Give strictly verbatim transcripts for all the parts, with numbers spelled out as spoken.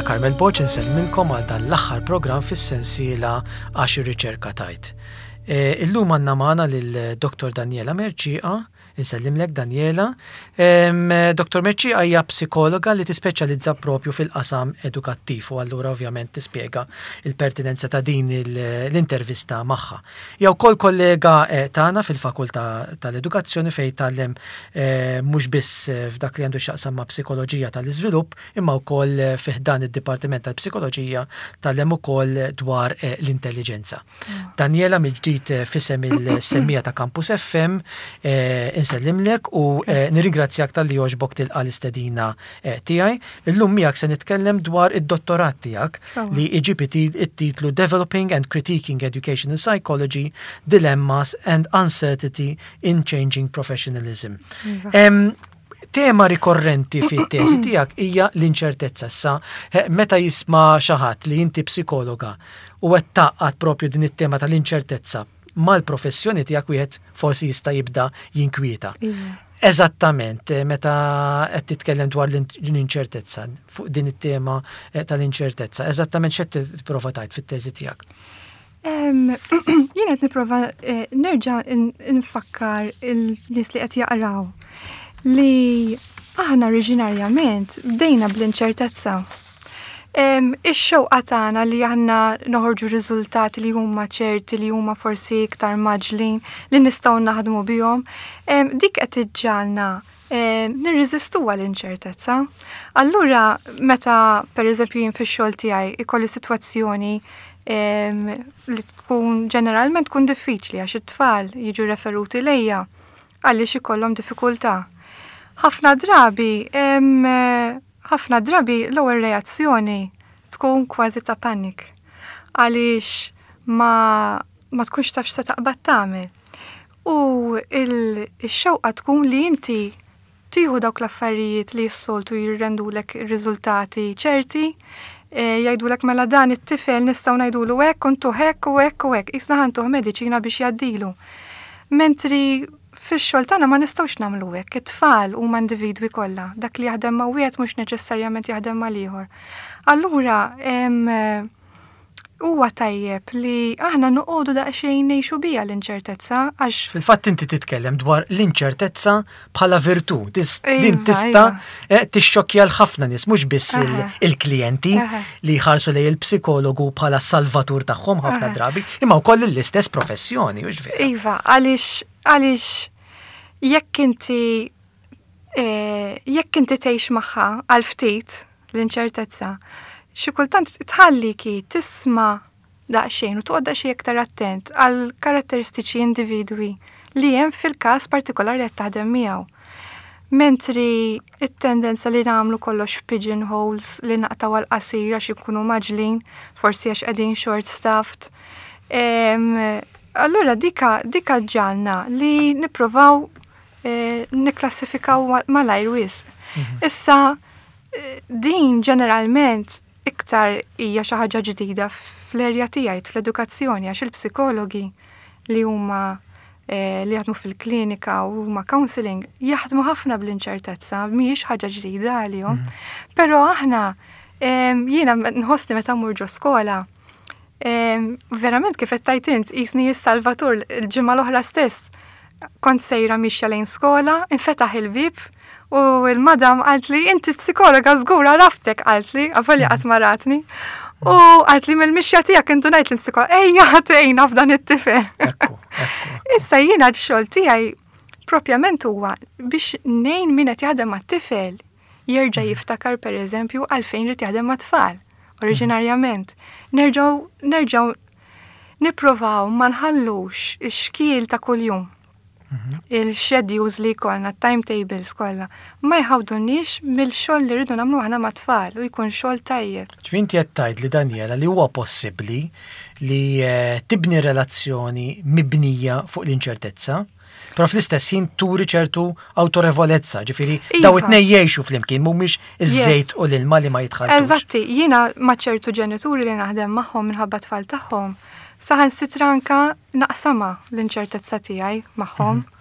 Jiena Carmel Borg insellmilkom għal dan l-aħħar programm fis-sensiela Għax ir-Riċerka Tgħid. E, illum għandna magħna lil Dottor Daniela Mercieca, insellimlek Daniela. Dottor Mercieca hija psikologa li tispeċjalizza propju fil-qasam edukattiv u allura ovvjament tispjega il-pertinenza ta' din l-intervista magħha. Hija wkoll kollega eh, tagħna fil-Fakultà tal-Edukazzjoni fejn tgħallem eh, mhux biss eh, f'dak li għandu x'jaqsam ma' psikoloġija tal-iżvilupp, imma wkoll fi ħdan id-Dipartiment tal-Psikoloġija tgħallem ukoll dwar l-intelligenza. Mm. Daniela, mill-ġdid f'isem il-semmiegħa ta' Campus F M insellimlek u eh, nirringrazzjak talli għoġbok tilqa l-istedina eh, tiegħi. Illum miegħek se nitkellem dwar id-dottorat tiegħek li iġib it-titlu Developing and Critiquing Educational Psychology, Dilemmas and Uncertainty in Changing Professionalism. Iva. Tema rikorrenti fit-teżi tiegħek hija l-inċertezza. Issa, eh, meta jisma' xi ħadd li inti psikologa u qed tgħaqqad propju din it-tema tal-inċertezza mal-professjoni tiegħek, wieħed forsi jista' jibda jinkwieta. Iva. Eżattament, eh, meta qed titkellem dwar l-inċertezza, fuq din it-tema eh, tal-inċertezza, eżattament x'qed tipprova tgħid fit-teżi tiegħek? Jien qed nipprova eh, nerġa' nfakkar il-nies li qed jaqraw li aħna oriġinarjament bdejna bl-inċertezza. Ix-xewqa tagħna li aħna noħorġu riżultati li huma ċerti, li huma forsi iktar mgħaġġlin, li nistgħu naħdmu bihom, dik qed iġġagħalna nirreżistu l-inċertezza. Allura, meta pereżempju jien fix-xogħol tiegħi ikolli sitwazzjoni li tkun ġeneralment tkun diffiċli, għax it-tfal jiġu referuti lejja għaliex ikollhom diffikultà. Ħafna drabi ħafna drabi l-ewwel reazzjoni tkun kważi ta' panik, għaliex ma, ma tkunx taf x'se taqbad tagħmel. U il-xewqa tkun li inti tieħu dawk l-affarijiet li s-soltu jirrendulek riżultati ċerti, e, jgħidulek mela dan it-tifel nistgħu ngħidulu hekk, untuh hekk u hekk u hekk, qisna ħa ntuh mediċina biex jgħaddilu. Mentri fix-xogħol tagħna ma nistgħux nagħmlu hekk. It-tfal huma individwi kollha. Dak li jaħdem ma' wieħed mhux neċessarjament jaħdem mal ieħor. Allura huwa tajjeb li aħna noqogħdu daqsxejn ngħixu biha l-inċertezza għax Fil-fatt inti titkellem dwar l-inċertezza bħala virtù. Din iva, tista' iva. eh, tixxokkja l-ħafna nies, mhux biss il-klijenti li jħarsu lejn il-psikologu bħala salvatur tagħhom ħafna drabi, imma wkoll l-istess professjoni, hux vera? Iva, għaliex għaliex jekk inti eh, jekk inti tgħix magħha għal ftit l-inċertezza, xi kultant tħalliki tisma' daqsxejn u toqgħod daqsxejn iktar attent għal karatteristiċi individwi li hemm fil-każ partikolari li qed taħdem miegħu. Mentri it-tendenza li nagħmlu kollox pigeonholes, li naqtaw għal qasir għax ikunu mgħaġġlin, forsi għax qegħdin short staffed. Allura dika dika ġġagħalna li nipprovaw eh, niklassifikaw malajr wisq. Mhm. Issa eh, din ġeneralment iktar hija xi ħaġa ġdida fl-erja tiegħi fl-edukazzjoni, għax il-psikologi li huma eh, li jaħdmu fil-klinika u huma counseling jaħdmu ħafna bl-inċertezza, mhijiex ħaġa ġdida għalihom. Mhm. Però aħna, jiena nħossni meta mmur ġo skola, verament kif qed tgħid int, qisni s-salvatur. Il-ġimgħa l-oħra stess kont sejra mixja lejn skola, infetaħ il-bib u il-madam qalt li "Inti psikologa żgur, għaraftek," qalt li, avolja qatt ma ratni. U qalt li "Mill-mixja tiegħek indunajt li psikologa, ejja tgħinna f'dan it-tifel." Issa jiena x-xogħol tiegħi propjament huwa biex ngħin min qed jaħdem mat-tifel jerġa' mhm. jiftakar pereżempju għalfejn irid jaħdem mat-tfal oriġinarjament. Nerġgħu nerġgħu nipprovaw ma nħallux ix-xkiel ta' kuljum, mhm. il-schedules li jkollna, timetables kollha, ma jħawdunniex mill-xogħol li rridu nagħmlu aħna mat-tfal u jkun xogħol tajjeb. Ġifieri qed tgħid li, Daniela, li huwa possibbli li eh, tibni relazzjoni mibnija fuq l-inċertezza, però fl-istess ħin turi ċertu autorevolezza, ġifieri iva. Daw it-tnejn jgħixu flimkien, mhumiex iż-żejt u l-ilma li ma jitħalltux. Eżatti, jiena ma' ċertu ġenituri li naħdem magħhom minħabba tfal tagħhom, saħansitra anka naqsamha l-inċertezza tiegħi magħhom. Mhm.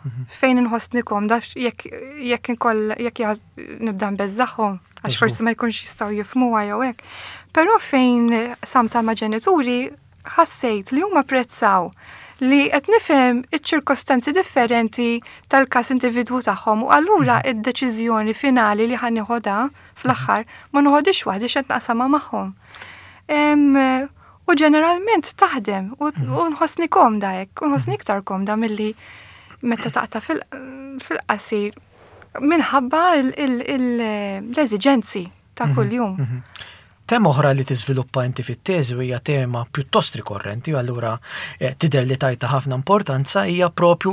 Mhm. Fejn inħossni komda, jekk jekk inkoll jekk nibda nbeżżagħhom, għax forsi ma jkunx jistgħu jifhmuha jew hekk. Però fejn qsamtha ma' ġenituri, ħassejt li huma apprezzaw li qed nifhem iċ-ċirkostanzi differenti tal-każ individwu tagħhom u allura mhm. id-deċiżjoni finali li ħa nieħodha fl-aħħar ma noħodix waħdi, x'qed naqsamha magħhom. U ġeneralment taħdem u mhm. nħossni komda hekk, u nħossni iktar komda milli meta taqta' fil-qasir minħabba l-eżiġenzi ta' mhm. kuljum. Tema oħra li tiżviluppa inti fit-teżi hija tema pjuttost rikorrenti, u allura eh, tidher li tajtha ħafna importanza, hija propju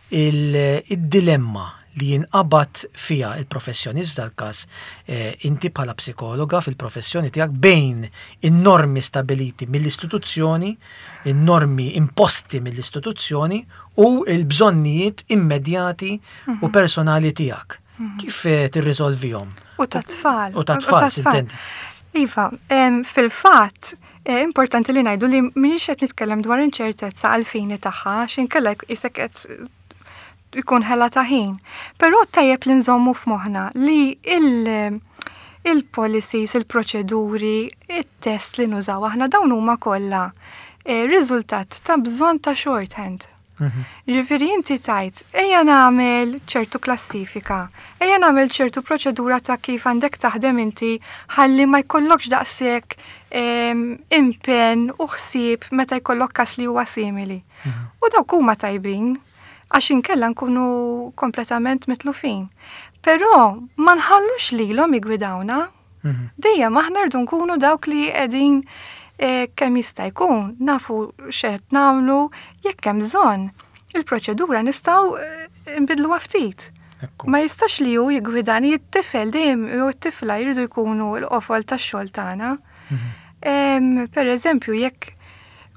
il-dilemma li jinqabad fija il-professjonist, f'dal-każ eh, inti bħala psikologa fil-professjoni tiegħek, bejn in-normi stabiliti mill-istituzzjoni, in-normi imposti mill-istituzzjoni u l-bżonnijiet immedjati u mhm. personali tiegħek. Mhm. Kif eh, tirriżolvihom? U ta' tfal. U ta' tfal, s'intendi. Iva, fil-fatt, eh, importanti li ngħidu li m'iniex qed nitkellem dwar inċertezza għal-fini tagħha, x'inkella isek qed ikun ħela ta' ħin. Però tajjeb li nżommu f'moħħna li il- il-policies, il-proċeduri, il-test li nużaw aħna, dawn huma kollha eh, riżultat ta' bżonn ta' shorthand. Mhm. Ġifieri inti tajt, ejja nagħmel ċertu klassifika, ejja nagħmel ċertu proċedura ta' kif għandek taħdem inti ħalli ma jkollokx daqshekk impenn u ħsieb meta jkollok kas li huwa simili. Mhm. U dawk huma tajbin, għax inkella nkunu kompletament mitlufin. Però ma nħallux lilhom jiggwidawna. Mhm. Dejjem aħna rridu nkunu dawk li qegħdin eh, kemm jista' jkun nafu x'qed nagħmlu. Jekk hemm bżonn il-proċedura nistgħu eh, nbidluha ftit. Ma jistax li hu jiggwidani. It-tifel dejjem jew it-tifla jridu jkunu l-qofol tax-xogħol tagħna. Mhm. Per eżempju, jekk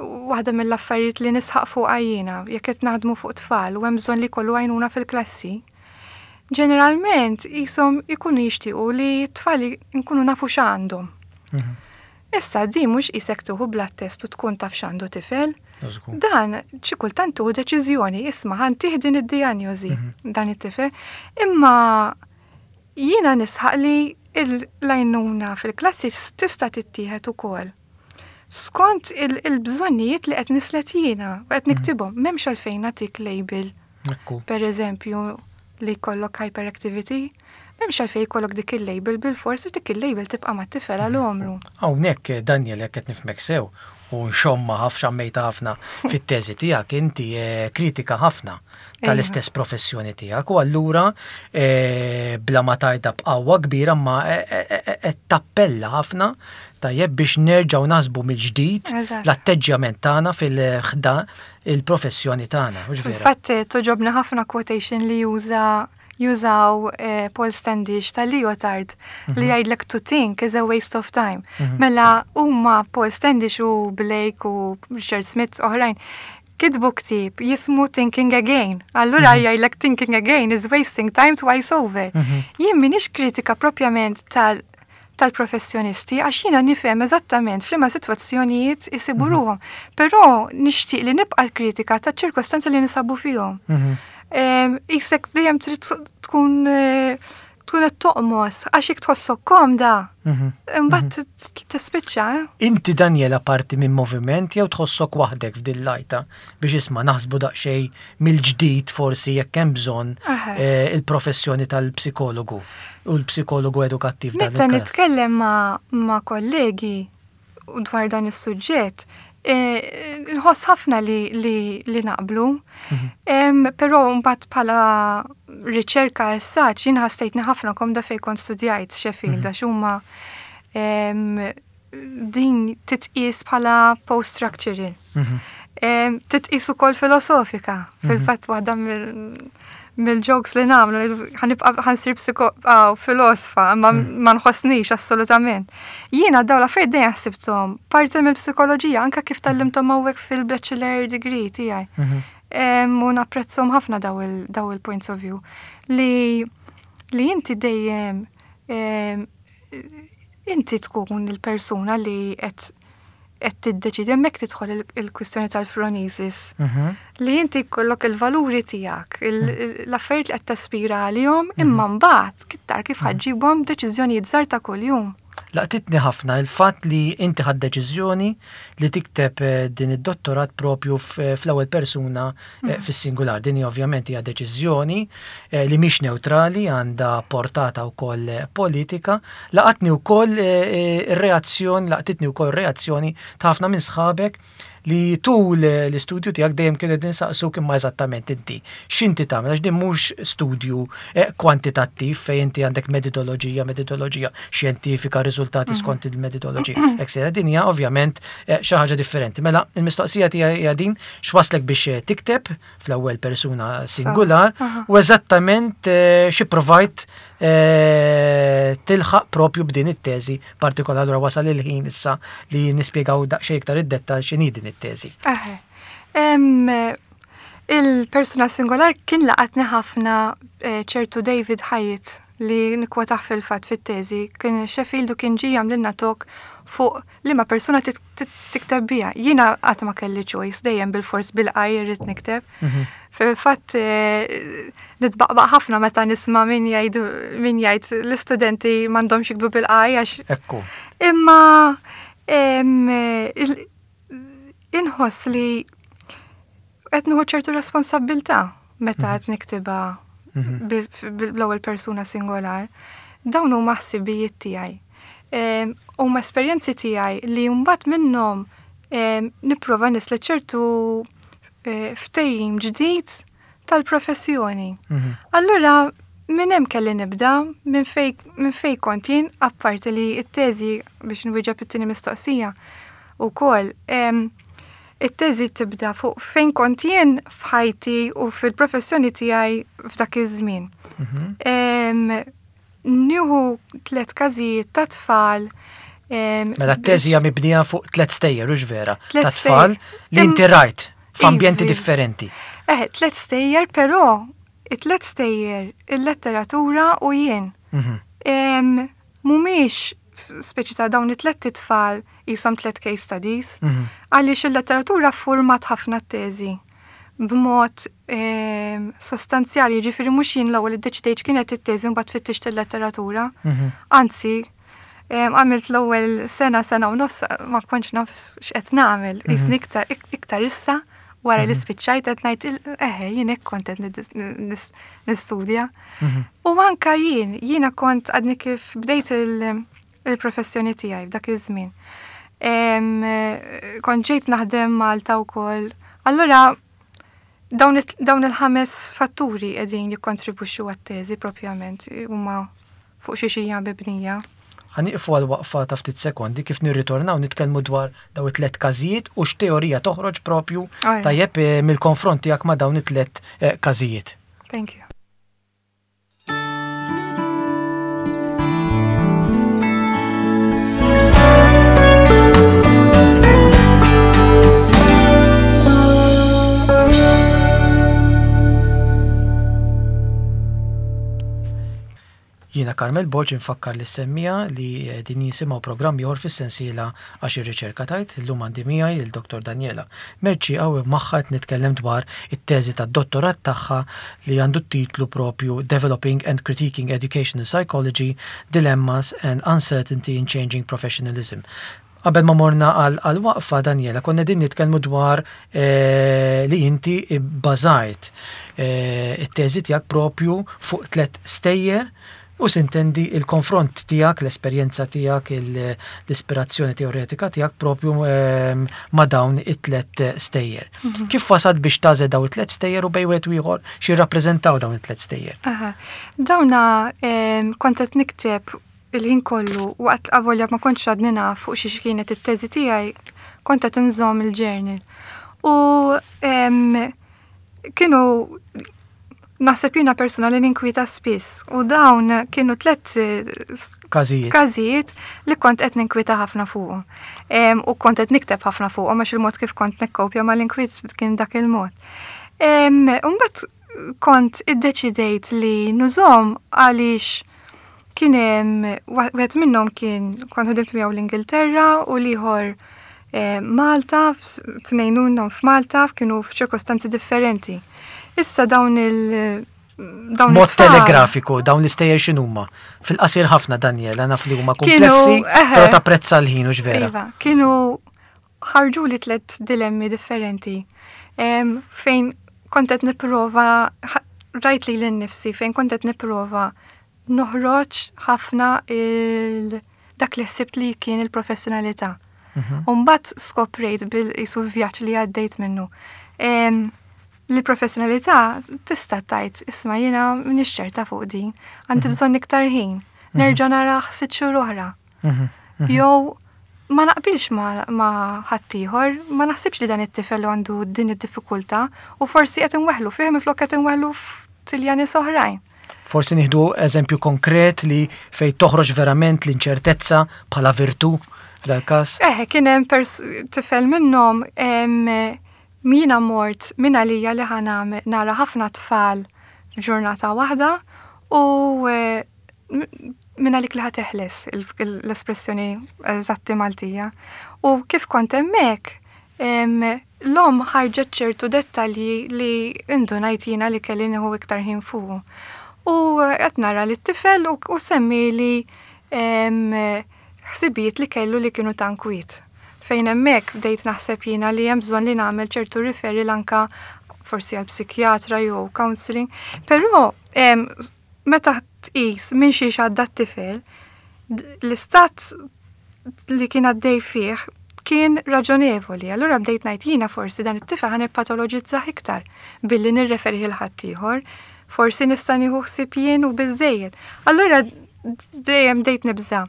waħda mill-affarijiet li nisħaq fuq jiena, jekk qed naħdmu fuq tfal u hemm bżonn li jkollu għajnuna fil-klassi, ġeneralment jisom ikunu jixtiequ li t-tfal nkunu nafu x'għandhom. Mhm. Issa di mhux qisek tieħu blood test u tkun taf x'għandu tifel. Dan xi kultant tieħu deċiżjoni, isma', ħa ntih din id-dijanjosi mhm. dan it-tifel. Imma jiena nisħaq li l-għajnuna fil-klassi tista' tittieħed ukoll skont il-bżonnijiet li qed nislet jiena u qed mhm. niktibhom. M'hemmx għalfejn nagħtik label. Per eżempju, li jkollok hyperactivity, m'hemmx għalfejn jkollok dik il-label bil-forsi, dik il-label tibqa' mat-tifel għal għomru. Hawnhekk, Daniel, jekk qed nifhmek sew u nxomma ħaf xammejta ħafna fit-teżi tiegħek, inti eh, kritika ħafna tal-istess professjoni tiegħek u allura eh, bla ma tajda b'qawwa kbira ma eh, tappella ħafna tajjeb biex nerġgħu naħsbu mill-ġdid l-atteġġjament tagħna fil-ħda il-professjoni tagħna. Fil-fatt togħġobni ħafna quotation li juża jużaw eh, Paul Standish ta' Lyotard li mhm. jgħidlek, "To think is a waste of time." Mhm. Mela huma Paul Standish u Blake u Richard Smith oħrajn kitbu ktieb jismu Thinking Again. Allura mhm. jgħidlek, "Thinking again is wasting time twice over." Jien m'iniex kritika propjament tal tal-professjonisti għax jiena nifhem eżattament f'liema sitwazzjonijiet isibu ruħhom. Però nixtieq li nibqa' l-kritika taċ-ċirkostanzi li ninsabu fihom. Isek dejjem trid tkun eh, tkun qed toqmos għax jekk tħossok komda, mhm. imbagħad mhm. tispiċċa. Eh? Inti, Daniela, parti minn moviment jew tħossok waħdek f'dil-lajta biex isma' naħsbu daqsxejn mill-ġdid forsi jekk hemm bżonn eh, il-professjoni tal-psikologu u l-psikologu edukattiv? Meta nitkellem ma' kollegi dwar dan is-suġġett, Eh, nħoss ħafna li, li, li naqblu, mhm. però mbagħad bħala riċerka essaċ jien ħassejtni ħafna komda fejn kont studjajt Sheffield, mhm. għax huma din titqis bħala post-structural. Mhm. Titqis ukoll filosofika. Fil-fatt waħda mill-jokes li nagħmlu, ħa nibqa' ħa nsir filosfa, ma mm. ma nħossnix assolutament. Jiena daw l-affarijiet dejjem ħsibthom parti mill-psikoloġija, anke kif tgħallimthom hawnhekk fil-bachelor degree tiegħi. Mhm. U napprezzhom ħafna daw il-points of view li li inti dejjem inti tkun il-persuna li qed qed tiddeċidi, hemmhekk tidħol il-kwistjoni tal-phronesis. Mhm. Li inti jkollok il-valuri tiegħek, l-affarijiet li qed taspira għalihom, imma mbagħad kittar kif ħa ġġibhom deċiżjonijiet żgħar ta' kuljum. Laqtitni ħafna il-fatt li inti ħadt deċiżjoni li tikteb eh, din id-dottorat propju fl-ewwel persuna eh, Mhm. fis-singular. Din hija ovvjament hija deċiżjoni eh, li mhix neutrali, għandha portata wkoll politika. Laqatni wkoll ir-reazzjoni, laqtitni wkoll reazzjoni ta' ħafna minn sħabek li tul l-istudju tiegħek dejjem kienu qegħdin saqsuk imma eżattament inti x'inti tagħmel, għax din mhux studju eh, kwantitattiv fejn inti għandek metodoloġija, metodoloġija xjentifika, riżultati skont il-metodoloġija. Eksera din hija ovvjament eh, xi ħaġa differenti. Mela il-mistoqsija tiegħi hija din x'waslek biex eh, tikteb fl-ewwel persuna singular Aha. u eżattament eh, xi provajt eh, tilħaq propju b'din it-teżi partikolari. Allura wasal il-ħin issa li nispjegaw daqsxejn iktar id-dettall x'inhi din it-teżi. Eħe. Em, Il-persuna singolar kien laqatni ħafna eh, ċertu David Haidt li nikkwotah fil-fatt fit-teżi. Kien Sheffield u kien ġie jagħmlilna talk fuq li ma persuna tit- tit- tikteb biha. Jiena qatt ma kelli choice, dejjem bil-fors bil-I irrid nikteb. Fil-fatt eh, nitbaqbaq ħafna meta nisma' min jgħidu min jgħid l-istudenti m'għandhomx jiktbu bil-I għax Ekku. Imma em, il- inħoss li qed nieħu ċertu responsabbiltà meta qed niktibha bil- bil- bl-ewwel persuna singolar. Dawn huma ħsibijiet tiegħi. Em, Huma esperjenzi tiegħi li mbagħad minnhom em, nipprova nislet ċertu eh, ftehim ġdid tal-professjoni. Mhm. Allura, minn hemm kelli nibda, minn fej, minn fej kont jien, apparti li it-teżi biex nwieġeb it-tieni mistoqsija ukoll, em, it-teżi tibda fuq fejn kont jien f'ħajti u fil-professjoni tiegħi f'dak iż-żmien. Mhm. Em, Nieħu tliet każijiet ta' tfal. em, Mela t-teżi hija mibnija fuq tliet stejjer, hux vera, Tliet ta' tfal stejjer. li inti rajt f'ambjenti Ivi. differenti. Eh, tliet stejjer, però it-tliet stejjer, il-letteratura u jien. Mhm. Em, Mhumiex speċi ta' dawn it-tliet tfal jisom tliet case studies, Mhm. għaliex il-letteratura format ħafna t-teżi b'mod em, sostanzjali, ġifieri mhux jien l-ewwel iddeċidejt kienet it-teżi mbagħad fittixt il-letteratura. Mhm. Anzi, em, għamilt l-ewwel sena, sena u nofs ma kontx naf x'qed nagħmel, qisni iktar iktar issa wara li spiċċajt qed ngħid il- eħe jien hekk kont qed nid- nis- nistudja. Mhm. U anka jien, jiena kont għadni kif bdejt il- il-professjoni tiegħi f'dak iż-żmien. Em, eh, Kont ġejt naħdem Malta wkoll. Allura dawn it- dawn il-ħames fatturi qegħdin jikkontribwixxu għat-teżi propjament huma fuq xi xija mibnija. Ħa nieqfu għal waqfa ta' ftit sekondi kif nirritornaw nitkellmu dwar daw it-tlet każijiet u x'teorija toħroġ propju Alright. tajjeb eh, mill-konfront tiegħek ma' dawn it-tlet eh, każijiet. Thank you. Jiena Carmel Borg infakkar li semmija li eh, din jisimgħu programm ieħor fis-sensiela għax ir-riċerka tajt illum għandi miegħi il Dottor Daniela Mercieca u magħha qed nitkellem dwar it-teżi tad-dottorat tagħha li għandu t-titlu propju Developing and Critiquing Educational Psychology, Dilemmas and Uncertainty in Changing Professionalism. Qabel ma morna għal għal waqfa Daniela, konna din nitkellmu dwar eh, li inti bbażajt eh, it-teżi tiegħek propju fuq tliet stejjer u sintendi il-konfront tiegħek, l-esperjenza tiegħek, il- l-ispirazzjoni teoretika tiegħek propju ehm, ma' dawn it-tlet stejjer. Kif wasat biex tagħżel dawn it-tlet stejjer u bejn wieħed u ieħor xi jirrappreżentaw dawn it-tlet stejjer? Aha. Dawna em, kont qed nikteb il-ħin kollu waqt avolja ma kontx għadni naf fuq xi kienet it-teżi tiegħi, kont qed inżomm il-journal. U em, kienu naħseb jiena persuna li ninkwieta spiss u dawn kienu tliet eh, Każijiet. każijiet li kont qed ninkwieta ħafna fuqhom. Em, U kont qed nikteb ħafna fuqhom għax il-mod kif kont nikkopja mal-inkwiet kien dak il-mod. Em, Imbagħad kont iddeċidejt li nużhom għaliex kien hemm wieħed minnhom kien kont ħdimt miegħu l-Ingilterra u l-ieħor eh, Malta, tnejn minnhom f'Malta, kienu f'ċirkostanzi differenti. Issa dawn il- dawn Mod it-tfal- telegrafiku, dawn l-istejjer x'inhuma? Fil-qasir ħafna, Daniela, naf li huma Kienu, komplessi, eħe. però tapprezza l-ħin u vera. Iva, kienu ħarġu li tlet dilemmi differenti. Em, fejn kont qed nipprova, ħa- rajt lili nnifsi, fejn kont qed nipprova noħroġ ħafna il dak li ħsibt li kien il-professjonalità. Mhm. Umbat skoprejt bil-isu vjaġġ li għaddejt minnu. Em, Li professjonalità tista' tgħid, isma' jiena m'iniex ċerta fuq din, għandi bżonn iktar ħin, nerġa' nara sitt xhur oħra. Mhm. Jew ma naqbilx ma, ma ħaddieħor, ma naħsibx li dan it-tifel għandu din id-diffikultà u forsi qed inweħlu fih minflok qed inweħlu f'tilja nies oħrajn. Forsi nieħdu eżempju konkret li fej toħroġ verament l-inċertezza bħala virtu f'dal-każ. Eħe, kien hemm pers- tifel minnhom em, jiena mort minn għalija li ħa nagħmel- nara ħafna tfal f'ġurnata waħda u eh, m- minn għalik li ħa teħles il- il- l-espressjoni eżatti Maltija. U kif kont hemmhekk, em, l-omm ħarġet ċertu dettalji li indunajt jiena li kelli nieħu iktar ħin fuqu. U eh, qed nara li t-tifel u, u semmi li em, ħsibijiet li kellu li kienu ta' inkwiet. Fejn hemmhekk bdejt naħseb jiena li hemm bżonn li nagħmel ċertu referral anka forsi għal psikjatra jew counseling, però em, meta tqis minn xiex għadda t-tifel, d- l-istat li kien għaddej fih kien raġonevoli. Allura bdejt ngħid jiena forsi dan it-tifel ħa nippatoloġizzah iktar billi nirreferi 'l ħaddieħor, forsi nista' nieħu ħsieb jien u biżejjed. Allura dejjem bdejt nibża'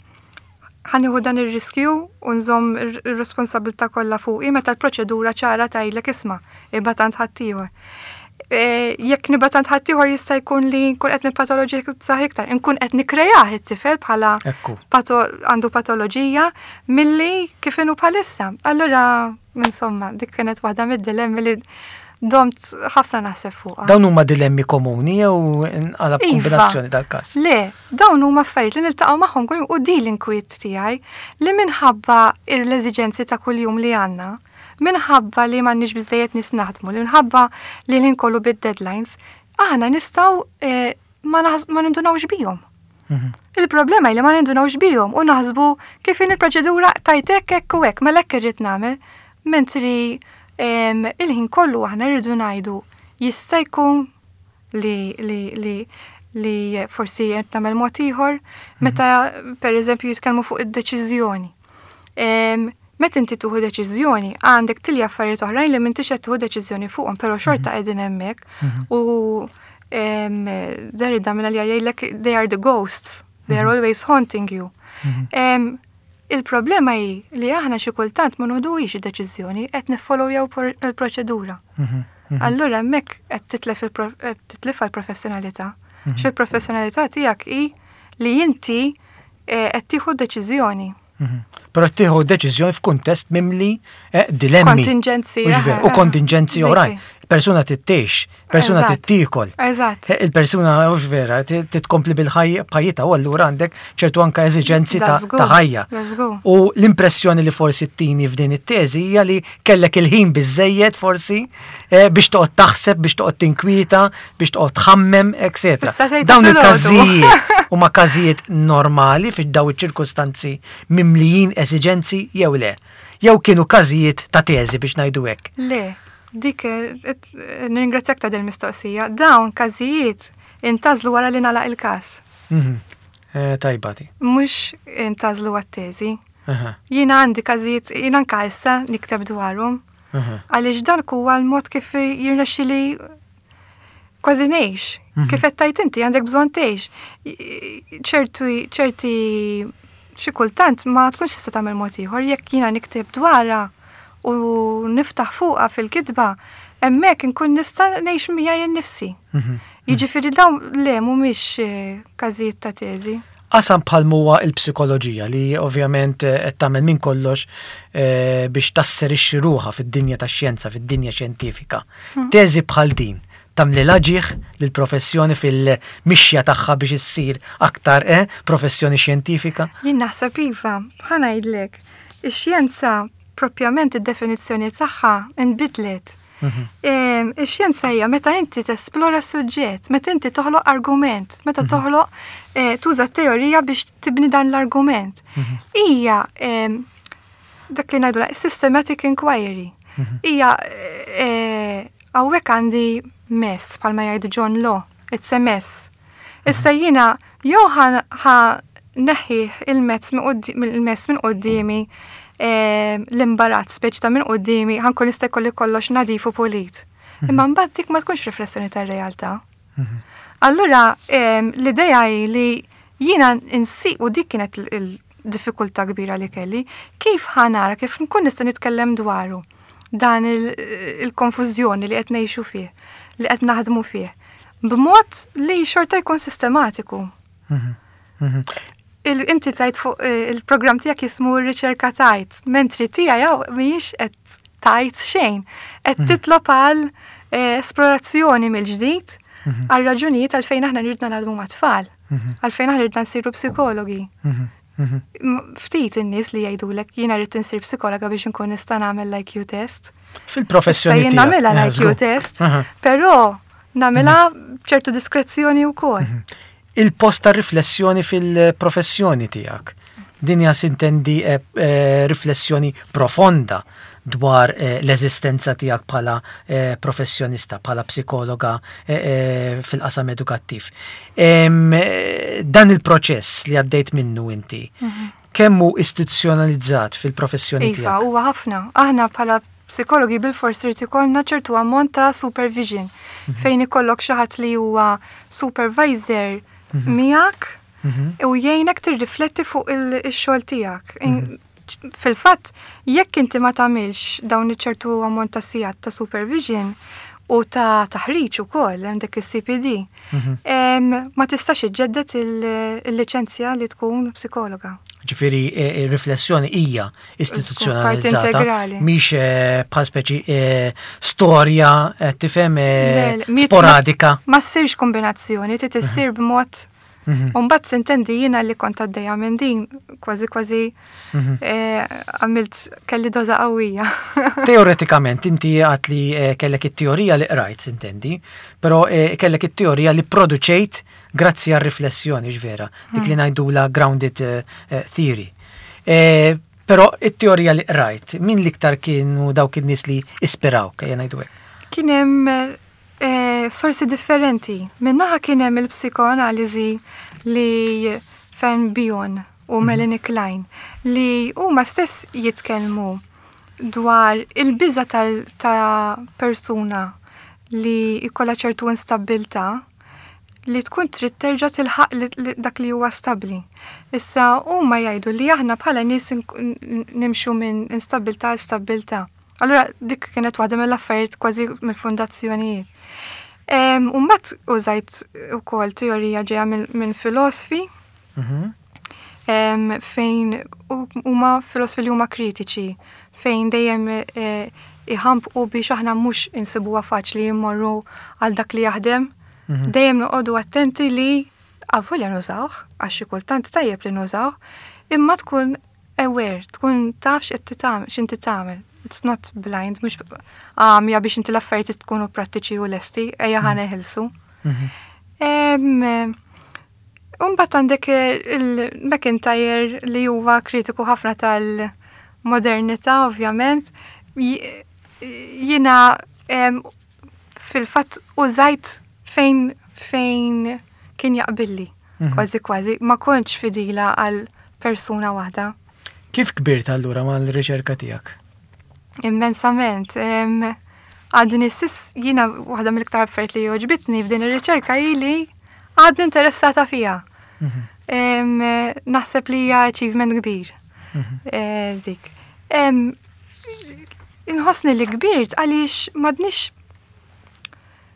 ħa nieħu dan ir-riskju u nżomm ir-responsabilità kollha fuqi meta l-proċedura ċara tgħidlek isma' ibgħat għand ħaddieħor. E, Jekk nibgħat għand ħaddieħor jista' jkun li nkun qed nippatoloġizzah iktar, nkun qed nikkrejah it-tifel bħala Ekku. pato, għandu patoloġija milli kif inhu bħalissa. Allura, insomma, dik kienet waħda mid-dilemmi li domt ħafna naħseb fuqha. Dawn huma dilemmi komuni jew nqalab Iva. kombinazzjoni dal-każ? Le, dawn huma affarijiet li niltaqgħu magħhom kuljum u di l-inkwiet tiegħi li minħabba l-eżiġenzi ta' kuljum li għandna, minħabba li m'għandniex biżejjed nies naħdmu, li minħabba li l kollu bid-deadlines, aħna nistgħu eh, ma naħs- ma nindunawx bihom. Mhm. Il-problema hi li ma nindunawx bihom u naħsbu kif in il-proċedura tajtek hekk u hekk, mela hekk irrid nagħmel, mentri em, il-ħin kollu aħna rridu ngħidu jista' jkun li li li li forsi qed nagħmel mod ieħor meta pereżempju jitkellmu fuq id-deċiżjoni. Em, Meta inti tieħu deċiżjoni għandek tilja affarijiet oħrajn li m'intix qed tieħu deċiżjoni fuqhom, però xorta qegħdin hemmhekk u em, Derrida minna li jgħidlek they are the ghosts, they are always haunting you. Em, Il-problema hi li aħna xi kultant ma noħduhiex id-deċiżjoni qed niffollowjaw por- il-proċedura. Mhm. Allura hemmhekk qed titlef il-pro- qed titlifha l-professjonalità. Xi l-professjonalità tiegħek hi li inti eh, qed tieħu deċiżjoni. Mhm. Però tieħu deċiżjoni f'kuntest mimli eh, dilemmi. Kontingenzi. Mhux veru, U eh, kontingenzi dik oħrajn. hi. Persuna tittiex, persuna Eżatt. tittiekel. Eżatt. Eh, Il-persuna, mhux vera, ti- titkompli bil-ħajja b'ħajjitha u allura għandek ċertu anka eżiġenzi ta' Da żgur, ta' ħajja. da żgur. U l-impressjoni li forsi ttini f'din it-teżi hija li kellek il-ħin biżejjed forsi eh, biex toqgħod taħseb, biex toqgħod tinkwieta, biex toqgħod tħammem, etc. Tista' tgħid Dawn filgħodu. il-każijiet huma każijiet normali fi daw iċ-ċirkustanzi mimlijin eżiġenzi jew le. Jew kienu każijiet ta' teżi biex ngħidu hekk. Le, dik eh, et- eh, nirringrazzjak ta' del mistoqsija. Dawn każijiet intgħażlu wara li nagħlaq il-każ. Mhm. Eh, Tajba di. Mhux intgħażlu għat-teżi. Aha, Jiena għandi każijiet, jiena anka issa nikteb dwarhom. aha. Għaliex dan huwa l-mod kif jirnexxili kważi ngħix. Kif qed tgħid inti għandek bżonn tgħix. ċertu ċerti xi kultant ma tkunx tista' tagħmel mod ieħor jekk jiena nikteb dwarha u niftaħ fuqha fil-kitba, hemmhekk inkun nista' ngħix miegħi nnifsi. Mhm. Jiġifieri dawn le mhumiex eh, każijiet ta' teżi. Qasam bħal huwa il-psikoloġija li ovvjament eh, qed tagħmel minn kollox eh, biex tasserixxi ruħha fid-dinja tax-xjenza, fid-dinja xjentifika. Teżi bħal din tagħmlilha ġieħ lill-professjoni fil-mixja tagħha biex issir aktar eh, professjoni xjentifika. Jien naħseb iva, ħa ngħidlek, ix-xjenza Propjament id-definizzjoni tagħha nbidlet. Mhm. Ix-xjenza hija meta inti tesplora suġġett, meta inti toħloq argument, meta mhm. toħloq eh, tuża teorija biex tibni dan l-argument. Mhm. Hija dak li ngħidu systematic inquiry. Hija eh, hawnhekk għandi mess bħalma jgħid John Law, it's a mess. Issa jiena jew ħa neħħi il-mess minn quddiemi, l-imbarazz speċi ta' minn quddiemi, ħa nkun nista' jkolli kollox nadif u pulit. Mhm. Imma mbagħad dik ma tkunx riflessjoni tar-realtà. Mhm. Allura l-idea hi li jiena insi u dik kienet il-diffikultà kbira li kelli, kif ħa nara, kif nkun nista' nitkellem dwaru dan il-konfużjoni li qed ngħixu fih, li qed naħdmu fih, b'mod li xorta jkun sistematiku. Mhm. Inti tajt fuq eh, il-programm tiegħek jismu r-riċerka tajt, mentri tiegħi hawn mhijiex qed tajt xejn, qed mhm. titlob għal eh, esplorazzjoni mill-ġdid mhm. għal raġunijiet għalfejn aħna rridna naħdmu mat-tfal, mhm. għalfejn aħna rridna nsiru psikologi. Ftit in-nies li jgħidulek jiena rrid insir psikologa biex inkun nista' nagħmel l-I Q test. Fil-professjoni. Jien nagħmilha l-I Q test, però nagħmilha b'ċertu diskrezzjoni wkoll. Il-post ta' riflessjoni fil-professjoni tiegħek. Din hija, sintendi, eh, eh, riflessjoni profonda dwar eh, l-eżistenza tiegħek bħala eh, professjonista, bħala psikologa eh, eh, fil-qasam edukattiv. Em, eh, dan il-proċess li għaddejt minnu inti, mm -hmm. kemm hu istituzzjonalizzat fil-professjoni Iva, tiegħek? Huwa ħafna. Aħna bħala psikologi bil-fors irid ikollna ċertu ammont ta' supervision mm -hmm. fejn ikollok xi ħadd li huwa supervisor mm -hmm. miegħek mhm. u jgħinek tirrifletti fuq il-xogħol tiegħek. Mhm. Fil-fatt, jekk inti ma tagħmilx dawn iċ-ċertu ammont ta' sigħat ta' supervision u ta' taħriġ ukoll hemm dik il-C P D, mhm. ma tistax iġġedded il-liċenzja li tkun psikologa. Ġifieri, e, e, riflessjoni hija istituzzjonalizzata, mhix e, bħal speċi storja, tifhem, sporadika. Ma ssirx kombinazzjoni, trid issir b'mod. Mhm. Umbagħad sintendi jiena li kont għaddejja minn din, kważi kważi mhm. eh, għamilt kelli doza qawwija. Teoretikament, inti għat li eh, kellek it-teorija li qrajt, sintendi, però eh, kellek it-teorija li produċejt grazzi għal riflessjoni ġvera, dik li mhm. ngħidula grounded theory. Però it-teorija li qrajt, min l-iktar kienu dawk in-nies li ispirawk, ejja ngħidu hekk? Kien hemm eh, sorsi differenti. Minnaħa kien hemm il-psikoanaliżi li fejn Bion u mhm. Melanie Klein li huma stess jitkellmu dwar il-biża ta' persuna li jkollha ċertu instabbiltà li tkun trid terġa' tilħaq dak li huwa stabbli. Issa huma jgħidu li aħna bħala nies nimxu minn instabbiltà għal stabbiltà. Allura dik kienet waħda mill-affarijiet kważi mill-fundazzjonijiet. U mbagħad użajt ukoll teorija ġejja minn filosofi mhm. fejn huma filosofi li huma kritiċi, fejn dejjem e, iħampqu biex aħna mhux insibuha faċli jimmorru għal dak li jaħdem. Mhm. Dejjem noqogħdu attenti li avolja nużawh, għax xi kultant tajjeb li nużawh, imma tkun aware, tkun taf x'qed x'inti tagħmel. It's not blind, mhux għamja biex inti l-affarijiet tkunu prattiċi u lesti, ejja ħa mhm. neħilsu. Mhm. Umbagħad għandek il-MacIntyre li huwa kritiku ħafna tal-modernità, ovvjament. Jiena fil-fatt użajt fejn fejn kien jaqbilli, mhm. kważi kważi, ma kontx fidila għal persuna waħda. Kif kbirt allura mal-riċerka tiegħek? Immensament. Għadni s'issa, jiena waħda mill-iktar affarijiet li għoġbitni f'din ir-riċerka hi li għadni interessata fiha. Mhm. Naħseb li hija achievement kbir. Mhm. Eh, dik. Inħossni li kbirt għaliex m'għadnix,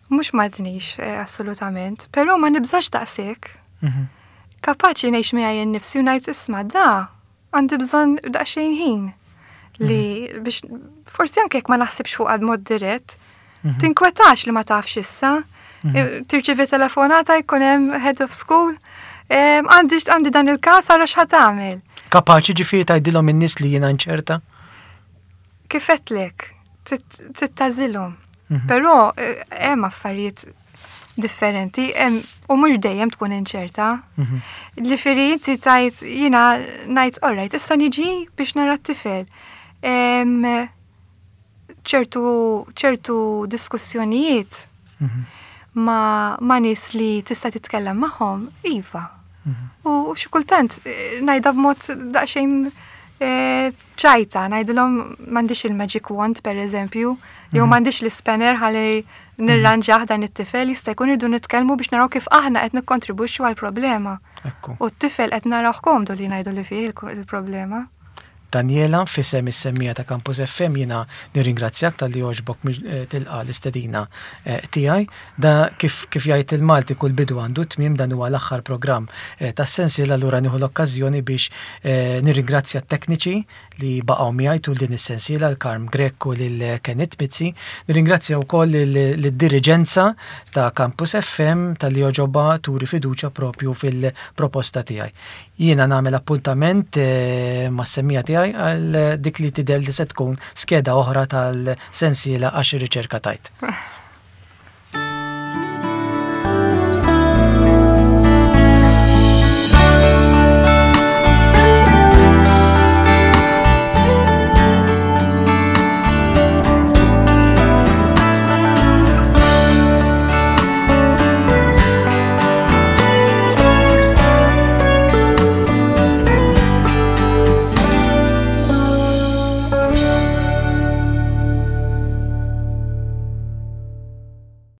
mhux m'għadnix eh, assolutament, però ma nibżax daqshekk. Mhm. Kapaċi ngħix miegħi nnifsi u ngħid, "Isma', da għandi bżonn daqsxejn ħin li mhm. biex forsi anke jekk ma naħsibx fuq għad mod dirett, mhm. tinkwetax li ma tafx issa. Mhm. Tirċivi telefonata, jkun hemm head of school, għandi għandi dan il-każ, ara x'ħa tagħmel." Kapaċi ġifieri tgħidilhom in-nies li jiena nċerta? Kif għedtlek, trid tagħżilhom. Mhm. Però eh, hemm affarijiet differenti u mhux dejjem tkun inċerta. Mhm. Ġifieri inti tgħid, jiena ngħid, "Alright, issa niġi biex nara t-tifel." ċertu ċertu diskussjonijiet mhm. ma, ma nies li tista' titkellem magħhom, iva. U xi kultant eh, ngħidha b'mod daqsxejn eh, ċajta, ngħidilhom m'għandix il-magic wand, per eżempju, jew mhm. m'għandix l-spanner ħalli nirranġaħ dan it-tifel, jista' jkun irdu nitkellmu biex naraw kif aħna qed nikkontribwixxu għall-problema. U t-tifel qed naraw komdu li ngħidu li fih il-problema. Daniela, f'isem is-semmiegħa ta' Campus F M jiena nirringrazzjak talli għoġbok eh, tilqa l-istedina eh, tiegħi. Da kif, kif jgħid il-Malti, kull bidu għandu tmiem, dan huwa l-aħħar programm eh, tas-sensiela, allura nieħu l-okkażjoni biex nirringrazzja t-tekniċi li baqgħu miegħi tul din is-sensiela, l-Karm Grek u lil Kenneth Mizzi. Nirringrazzja wkoll lid-diriġenza ta' Campus F M talli għoġobha turi fiduċja propju fil-proposta tiegħi. Jiena nagħmel appuntament mas-semmiegħa tiegħi għal dik li tidher li se tkun skeda oħra tal-sensiela Għax ir-Riċerka Tgħid.